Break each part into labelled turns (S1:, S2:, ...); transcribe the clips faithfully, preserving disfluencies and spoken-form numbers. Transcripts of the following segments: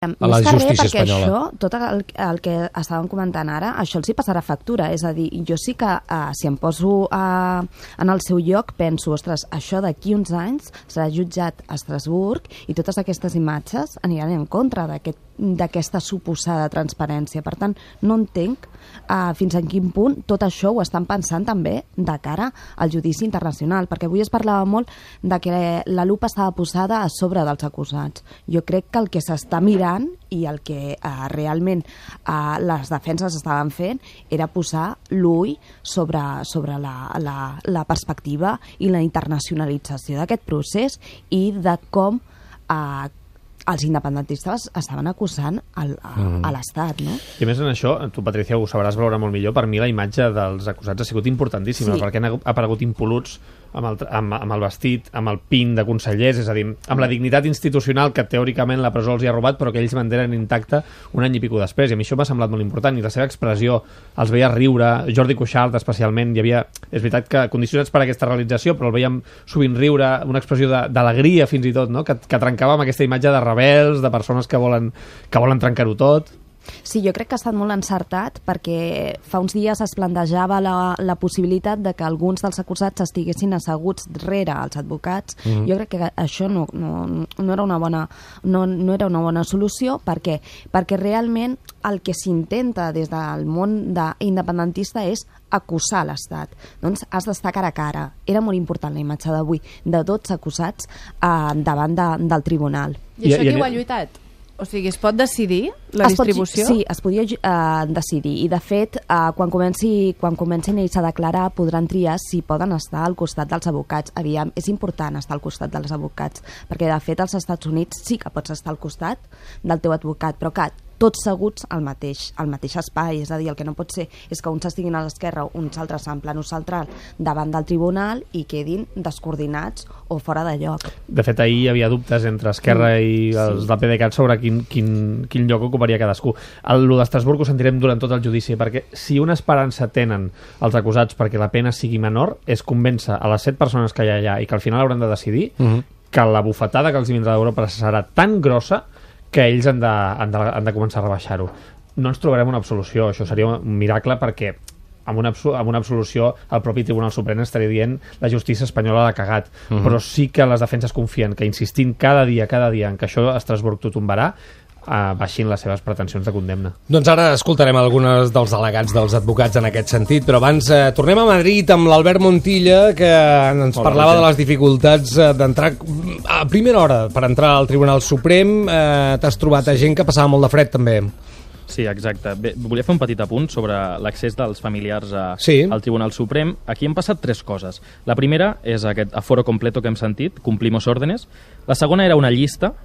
S1: a la justícia espanyola. Això, tot el, el que estàvem comentant ara, això els hi passarà factura. És a dir, jo sí que uh, si em poso uh, en el seu lloc, penso, ostres, això d'aquí uns anys serà jutjat a Estrasburg i totes aquestes imatges aniran en contra d'aquest d'aquesta suposada transparència. Per tant, no entenc uh, fins a quin punt tot això ho estan pensant també de cara al judici internacional, perquè avui es parlava molt de que la lupa estava posada a sobre dels acusats. Jo crec que el que s'està mirant i el que uh, realment uh, les defenses estaven fent era posar l'ull sobre, sobre la, la, la perspectiva i la internacionalització d'aquest procés i de com uh, els independentistes estaven acusant el, a, mm. a l'Estat, no?
S2: I més en això, tu, Patricia, ho sabràs veure molt millor, per mi la imatge dels acusats ha sigut importantíssima, sí. perquè han aparegut impoluts amb el, amb, amb el vestit, amb el pin de consellers, és a dir, amb la dignitat institucional que teòricament la presó els hi ha robat, però que ells mantenen intacta un any i pico després, i a mi això m'ha semblat molt important, i la seva expressió els veia riure, Jordi Cuixart especialment, hi havia, és veritat que condicionats per aquesta realització, però el veiem sovint riure, una expressió d'alegria fins i tot, no? que, que trencava amb aquesta imatge de rebels, de persones que volen, que volen trencar-ho tot.
S1: Sí, jo crec que ha estat molt encertat perquè fa uns dies es plantejava la, la possibilitat de que alguns dels acusats estiguessin asseguts rere els advocats. Mm-hmm. Jo crec que això no, no, no, era una bona, no, no era una bona solució. Per què? Perquè realment el que s'intenta des del món de independentista és acusar l'Estat. Doncs has d'estar cara a cara. Era molt important la imatge d'avui de tots acusats eh, davant de, del tribunal.
S3: I això qui ho ha lluitat? O sigui, es pot decidir la
S1: es
S3: distribució?
S1: Pot, sí, es podia uh, decidir. I, de fet, uh, quan, comenci, quan comencin ells a declarar, podran triar si poden estar al costat dels advocats. Aviam, és important estar al costat dels advocats, perquè, de fet, als Estats Units sí que pots estar al costat del teu advocat, però que tots seguts al mateix, al mateix espai. És a dir, el que no pot ser és que uns estiguin a l'esquerra, uns altres en plano central davant del tribunal i quedin descoordinats o fora de lloc.
S2: De fet, ahir hi havia dubtes entre Esquerra mm, i els sí. del PDeCAT sobre quin, quin, quin lloc ocuparia cadascú. El d'Estrasburg ho sentirem durant tot el judici, perquè si una esperança tenen els acusats perquè la pena sigui menor és convèncer a les set persones que hi ha allà i que al final hauran de decidir mm-hmm. que la bufetada que els vindrà d'Europa serà tan grossa que ells han de, han de, han de començar a rebaixar-ho. No ens trobarem una absolució, això seria un miracle perquè amb una, amb una absolució el propi Tribunal Suprem estaria dient la justícia espanyola l'ha cagat, uh-huh. però sí que les defenses confien que insistint cada dia, cada dia en que això a Estrasburg t'ho tombarà, Uh, baixin les seves pretensions de condemna.
S4: Doncs ara escoltarem alguns dels delegats dels advocats en aquest sentit, però abans uh, tornem a Madrid amb l'Albert Montilla, que ens Hola, parlava de les dificultats uh, d'entrar a primera hora per entrar al Tribunal Suprem. Uh, t'has trobat a gent que passava molt de fred també.
S5: Sí, exacte. Bé, volia fer un petit apunt sobre l'accés dels familiars a,
S4: sí.
S5: al Tribunal Suprem. Aquí han passat tres coses. La primera és aquest aforo completo que hem sentit, cumplimos órdenes. La segona era una llista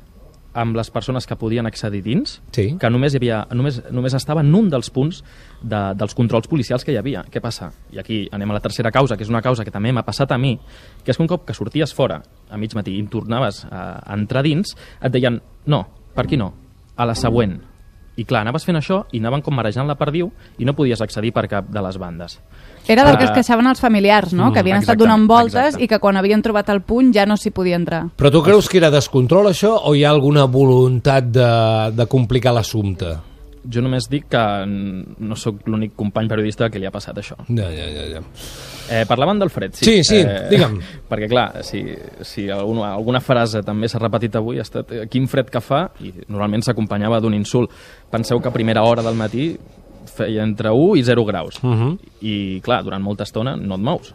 S5: amb les persones que podien accedir dins,
S4: sí.
S5: que només, hi havia, només, només estava en un dels punts de, dels controls policials que hi havia. Què passa? I aquí anem a la tercera causa, que és una causa que també m'ha passat a mi, que és que un cop que sorties fora a mig matí i tornaves a, a entrar dins, et deien, no, per aquí no, a la següent. I clar, anaves fent això i anaven com marejant la perdiu i no podies accedir per cap de les bandes.
S3: Era del que es queixaven els familiars, no? Mm, que havien estat donant voltes exacte. I que quan havien trobat el punt ja no s'hi podia entrar.
S4: Però tu creus que era descontrol això o hi ha alguna voluntat de, de complicar l'assumpte?
S5: Jo només dic que no sóc l'únic company periodista que li ha passat això.
S4: Ja, ja, ja. ja.
S5: Eh, parlaven del fred, sí.
S4: Sí, sí, eh, digue'm.
S5: Perquè, clar, si, si alguna, alguna frase també s'ha repetit avui ha estat eh, quin fred que fa, i normalment s'acompanyava d'un insult. Penseu que a primera hora del matí feia entre u i zero graus.
S4: Uh-huh.
S5: I, clar, durant molta estona no et mous.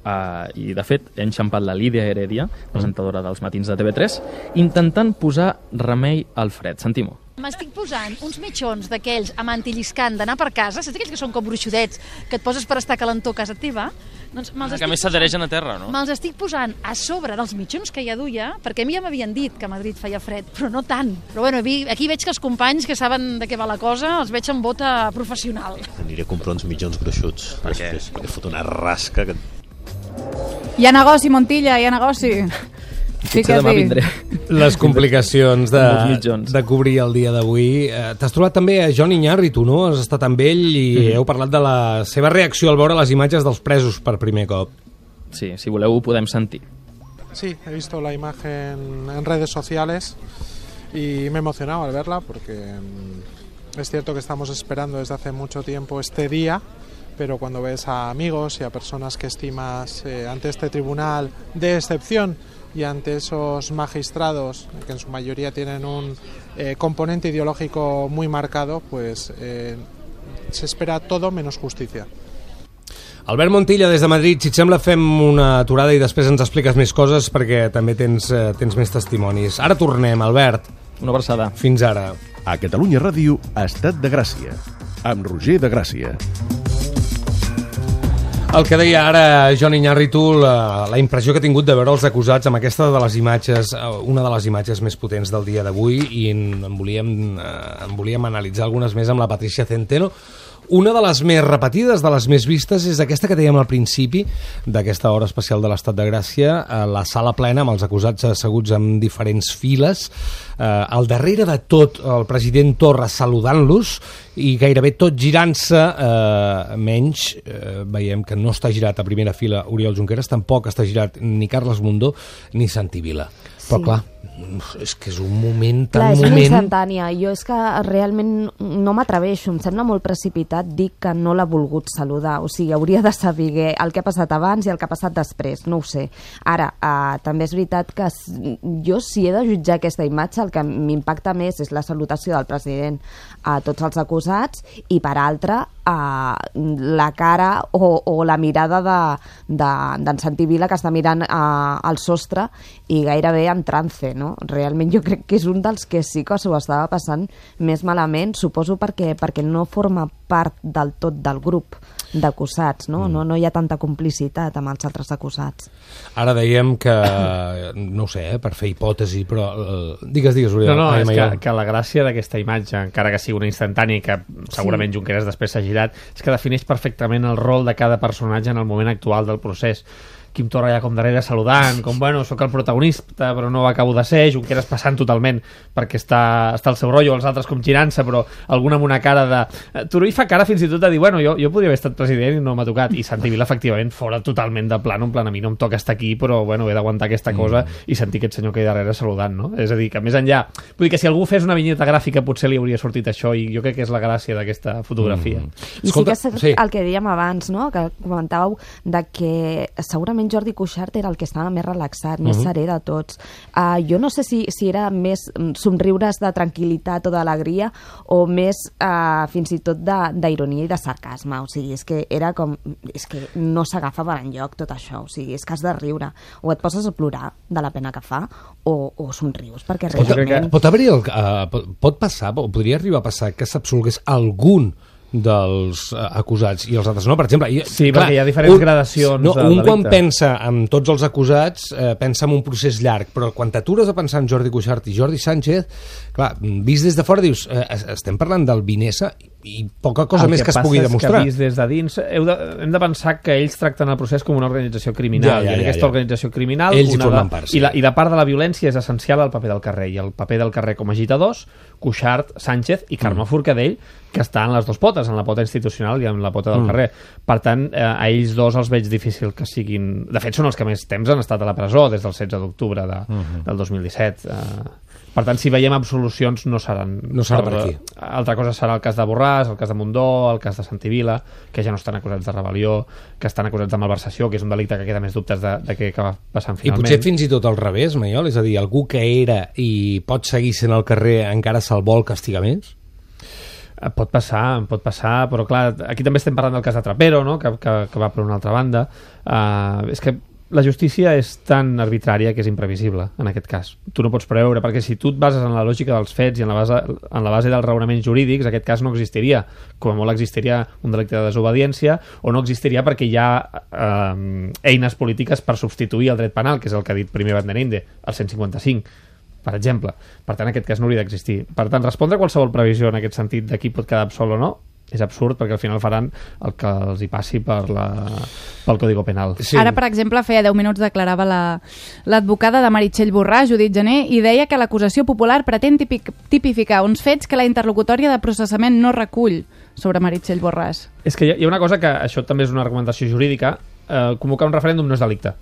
S5: Uh, I, de fet, he enxampat la Lídia Heredia, presentadora dels matins de T V tres, intentant posar remei al fred. Sentim-ho.
S6: M'estic posant uns mitjons d'aquells amb antilliscant d'anar per casa, saps aquells que són com bruixudets, que et poses per estar calentor a casa teva? Doncs
S7: que a més s'adhereixen a terra, no?
S6: Me'ls estic posant a sobre dels mitjons que ja duia, perquè a mi ja m'havien dit que a Madrid feia fred, però no tant. Però bueno, aquí veig que els companys que saben de què va la cosa els veig amb bota professional.
S8: Aniré a comprar uns mitjons gruixuts. Per què? Perquè fot una rasca que...
S3: Hi ha negoci, Montilla, hi ha negoci. Sí que
S5: demà vindré.
S4: Les complicacions de, de cobrir el dia d'avui. Eh, T'has trobat també a Jon Iñárritu, no? Has estat amb ell i mm-hmm. heu parlat de la seva reacció al veure les imatges dels presos per primer cop.
S5: Sí, si voleu ho podem sentir.
S9: Sí, he visto la imagen en redes sociales
S7: y me he emocionado al verla porque es cierto que estamos esperando desde hace mucho tiempo este día, pero cuando ves a amigos y a personas que estimas eh, ante este tribunal de excepción y ante esos magistrados que en su mayoría tienen un eh, componente ideológico muy marcado, pues eh, se espera todo menos justicia.
S4: Albert Montilla, des de Madrid, si et sembla fem una aturada i després ens expliques més coses perquè també tens, eh, tens més testimonis. Ara tornem, Albert.
S5: Una abraçada.
S4: Fins ara.
S9: A Catalunya Ràdio, Estat de Gràcia, amb Roger de Gràcia.
S4: El que deia ara Joan Iñárritu, la, la impressió que ha tingut de veure els acusats amb aquesta de les imatges, una de les imatges més potents del dia d'avui, i en, en, volíem, en volíem analitzar algunes més amb la Patricia Centeno. Una de les més repetides, de les més vistes, és aquesta que dèiem al principi d'aquesta hora especial de l'Estat de Gràcia, la sala plena amb els acusats asseguts en diferents files, eh, al darrere de tot el president Torra saludant-los i gairebé tot girant-se, eh, menys eh, veiem que no està girat a primera fila Oriol Junqueras, tampoc està girat ni Carles Mundó ni Santi Vila. Però
S1: Sí.
S4: clar, és que és un moment tan
S1: Clar, és una
S4: moment...
S1: instantània. Jo és que realment no m'atreveixo, em sembla molt precipitat dir que no l'ha volgut saludar. O sigui, hauria de saber el que ha passat abans i el que ha passat després, no ho sé. Ara, eh, també és veritat que jo, si he de jutjar aquesta imatge, el que m'impacta més és la salutació del president a tots els acusats i, per altra, a la cara o, o la mirada d'en de, de, Santi Vila, que està mirant a, al sostre i gairebé en trance, no? Realment jo crec que és un dels que sí que s'ho estava passant més malament, suposo perquè, perquè no forma part del tot del grup d'acusats, no? Mm. No, no hi ha tanta complicitat amb els altres acusats.
S4: Ara dèiem que, no ho sé, eh, per fer hipòtesi, però... Eh, digues, digues, Oriol.
S2: No, no,
S4: Ai,
S2: és
S4: Maiol.
S2: que, que la gràcia d'aquesta imatge, encara que sigui una instantània i que segurament sí. Junqueras després s'ha girat, és que defineix perfectament el rol de cada personatge en el moment actual del procés. Quim Torra ja com darrere saludant, com, bueno, sóc el protagonista, però no acabo de ser, Junqueras passant totalment perquè està, està al seu rotllo, els altres com girant-se, però algun amb una cara de... Turull fa cara fins i tot de dir, bueno, jo, jo podria haver estat president i no m'ha tocat, i Santi Vila, efectivament, fora totalment de plan, en plan, a mi no em toca estar aquí, però, bueno, he d'aguantar aquesta cosa mm. i sentir aquest senyor que hi darrere saludant, no? És a dir, que més enllà... Vull dir que si algú fes una vinyeta gràfica potser li hauria sortit això, i jo crec que és la gràcia d'aquesta fotografia.
S1: Mm. I Escolta, sí que és sí. el que dèiem abans, no?, que comentàveu de que segurament Jordi Cuixart era el que estava més relaxat, més uh-huh. serè de tots. Uh, jo no sé si, si era més somriures de tranquil·litat o d'alegria o més uh, fins i tot d'ironia i de sarcasme. O sigui, és que era com... És que no s'agafa per enlloc tot això. O sigui, és que has de riure. O et poses a plorar de la pena que fa o, o somrius, perquè realment...
S4: Pot haver-hi... El, uh, pot, pot passar, o podria arribar a passar que s'absolgués algun dels uh, acusats i els altres no, per exemple. I,
S2: sí,
S4: clar,
S2: perquè hi ha diferents
S4: un,
S2: gradacions
S4: no,
S2: de
S4: un
S2: delicte.
S4: quan pensa en tots els acusats eh, pensa en un procés llarg, però quan t'atures a pensar en Jordi Cuixart i Jordi Sánchez, clar, vist des de fora dius, eh, estem parlant del Vinesa i poca cosa
S2: el
S4: més
S2: que,
S4: que es pugui demostrar.
S2: El que vist des de dins, heu de, hem de pensar que ells tracten el procés com una organització criminal, ja, ja, ja, i en aquesta ja. organització criminal
S4: ells
S2: una
S4: hi formen
S2: de,
S4: part, sí.
S2: i, la, i de part de la violència és essencial el paper del carrer, i el paper del carrer com a agitadors, Cuixart, Sánchez i Carme mm. Forcadell, que està en les dues potes, en la pota institucional i en la pota del mm. carrer. Per tant, eh, a ells dos els veig difícil que siguin... De fet, són els que més temps han estat a la presó, des del setze d'octubre de, mm-hmm. del dos mil disset. Eh, per tant, si veiem absolucions, no seran...
S4: No serà per aquí.
S2: Altra cosa serà el cas de Borràs, el cas de Mundó, el cas de Santi Vila, que ja no estan acusats de rebel·lió, que estan acusats de malversació, que és un delicte que queda més dubtes de, de què acaba passant finalment.
S4: I potser fins i tot al revés, Maiol, és a dir, algú que era i pot seguir sent al carrer encara se'l vol castigar més?
S2: Pot passar, pot passar, però clar, aquí també estem parlant del cas de Trapero, no?, que, que, que va per una altra banda. Uh, és que la justícia és tan arbitrària que és imprevisible, en aquest cas. Tu no pots preveure, perquè si tu et bases en la lògica dels fets i en la base, en la base dels raonaments jurídics, aquest cas no existiria. Com a molt existiria un delicte de desobediència, o no existiria perquè hi ha eh, eines polítiques per substituir el dret penal, que és el que ha dit primer Van den Einde, el cent cinquanta-cinc, per exemple. Per tant, aquest cas no hauria d'existir. Per tant, respondre a qualsevol previsió en aquest sentit de qui pot quedar absolt o no és absurd, perquè al final faran el que els hi passi per la, pel Código Penal.
S3: Sí. Ara, per exemple, feia deu minuts declarava la, l'advocada de Meritxell Borràs, Judit Gené, i deia que l'acusació popular pretén tipic, tipificar uns fets que la interlocutòria de processament no recull sobre Meritxell Borràs.
S2: És que hi ha una cosa que, això també és una argumentació jurídica, eh, convocar un referèndum no és delicte.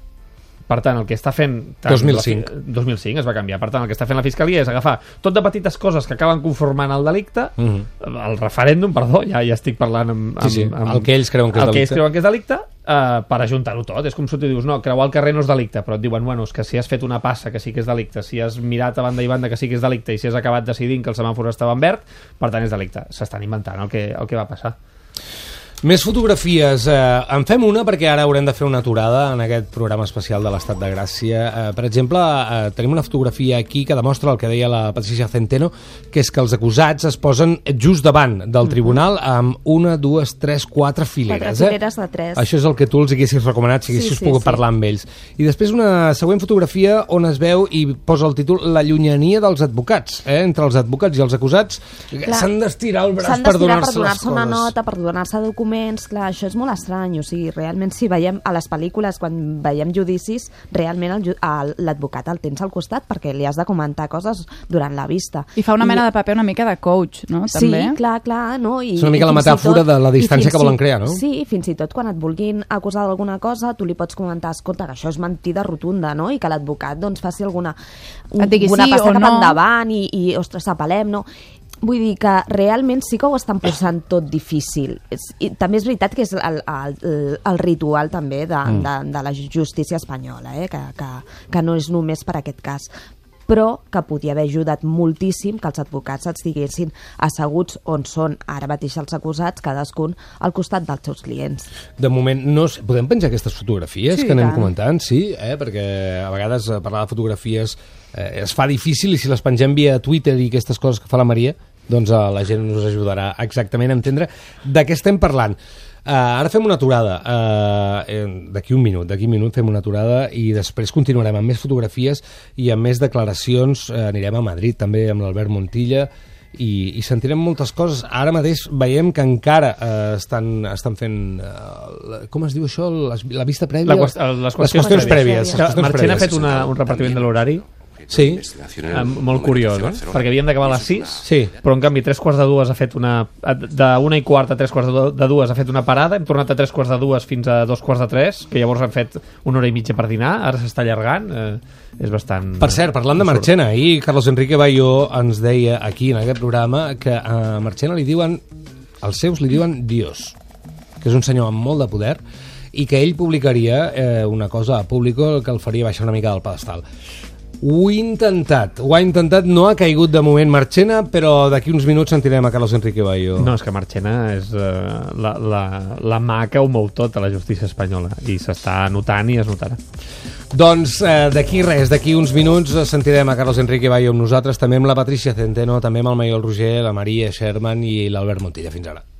S2: Per tant, el que està fent...
S4: dos mil cinc.
S2: La, dos mil cinc es va canviar. Per tant, el que està fent la Fiscalia és agafar tot de petites coses que acaben conformant el delicte, uh -huh. el referèndum, perdó, ja ja estic parlant amb... amb,
S4: sí, sí.
S2: amb
S4: el que ells creuen que és
S2: el
S4: delicte.
S2: que ells creuen que és delicte, eh, per ajuntar-ho tot. És com si tu dius, no, creuar el carrer no és delicte, però et diuen, bueno, és que si has fet una passa que sí que és delicte, si has mirat a banda i banda que sí que és delicte i si has acabat decidint que el semàfor estava en verd, per tant és delicte. S'estan inventant el que, el que va passar.
S4: Més fotografies. Eh, en fem una perquè ara haurem de fer una aturada en aquest programa especial de l'Estat de Gràcia. Eh, per exemple, eh, tenim una fotografia aquí que demostra el que deia la Patricia Centeno, que és que els acusats es posen just davant del tribunal amb una, dues, tres, quatre fileres.
S1: Quatre fileres de tres.
S4: Això és el que tu els haguessis recomanat si haguessis
S1: sí, sí,
S4: pogut
S1: sí.
S4: parlar amb ells. I després una següent fotografia on es veu i posa el títol La llunyania dels advocats. Eh? Entre els advocats i els acusats s'han d'estirar el braç per donar-se
S1: per
S4: les
S1: donar-se una
S4: coses.
S1: nota, per donar-se documents. Clar, això és molt estrany, o sigui, realment si veiem a les pel·lícules, quan veiem judicis, realment l'advocat el, el tens al costat perquè li has de comentar coses durant la vista.
S3: I fa una mena I... de paper una mica de coach, no? També.
S1: Sí, clar, clar, no? I,
S4: és una mica la metàfora tot, de la distància que volen crear, no?
S1: Sí, fins i tot quan et vulguin acusar d'alguna cosa, tu li pots comentar, escolta, que això és mentida rotunda, no? I que l'advocat doncs faci alguna un,
S3: digui
S1: una
S3: sí
S1: passa cap
S3: no.
S1: endavant i, i ostres, apel·lem, no? Vull dir que realment sí que ho estan posant tot difícil. I també és veritat que és el, el, el ritual també de, mm. de, de la justícia espanyola, eh? que, que, que no és només per aquest cas, però que podia haver ajudat moltíssim que els advocats estiguessin asseguts on són ara mateix els acusats, cadascun al costat dels seus clients.
S4: De moment, no sé, podem penjar aquestes fotografies
S1: sí,
S4: que anem
S1: tant.
S4: comentant? Sí, eh? Perquè a vegades parlar de fotografies eh, es fa difícil i si les pengem via Twitter i aquestes coses que fa la Maria, doncs uh, la gent us ajudarà exactament a entendre de què estem parlant. Uh, ara fem una aturada, uh, d'aquí un minut, d'aquí un minut fem una aturada i després continuarem amb més fotografies i amb més declaracions. Uh, anirem a Madrid també amb l'Albert Montilla i, i sentirem moltes coses. Ara mateix veiem que encara uh, estan, estan fent, uh, com es diu això, les, la vista prèvia?
S2: La, les, qüestions
S4: les qüestions prèvies.
S2: prèvies. Marchena ha fet una, un repartiment de l'horari
S4: sí.
S2: eh, molt curiós, no? Perquè havíem d'acabar a les sis,
S4: sí.
S2: però en canvi tres quarts de dues ha fet una... d'una i quart a tres quarts de dues ha fet una parada, hem tornat a tres quarts de dues fins a dos quarts de tres, que llavors han fet una hora i mitja per dinar, ara s'està allargant, eh, és bastant...
S4: Per cert, parlant de Marchena, ahir Carlos Enrique Bayo ens deia aquí en aquest programa que a Marchena li diuen, els seus li diuen Dios, que és un senyor amb molt de poder i que ell publicaria eh, una cosa a Público que el faria baixar una mica del pedestal. Ho he intentat, ho ha intentat, no ha caigut de moment Marchena, però d'aquí uns minuts sentirem a Carlos Enrique Bayo.
S2: No, és que Marchena és uh, la, la, la mà que ho mou tot a la justícia espanyola i s'està notant i es notarà.
S4: Doncs eh, d'aquí res, d'aquí uns minuts sentirem a Carlos Enrique Bayo amb nosaltres, també amb la Patricia Centeno, també amb el Maiol Roger, la Maria Sherman i l'Albert Montilla. Fins ara.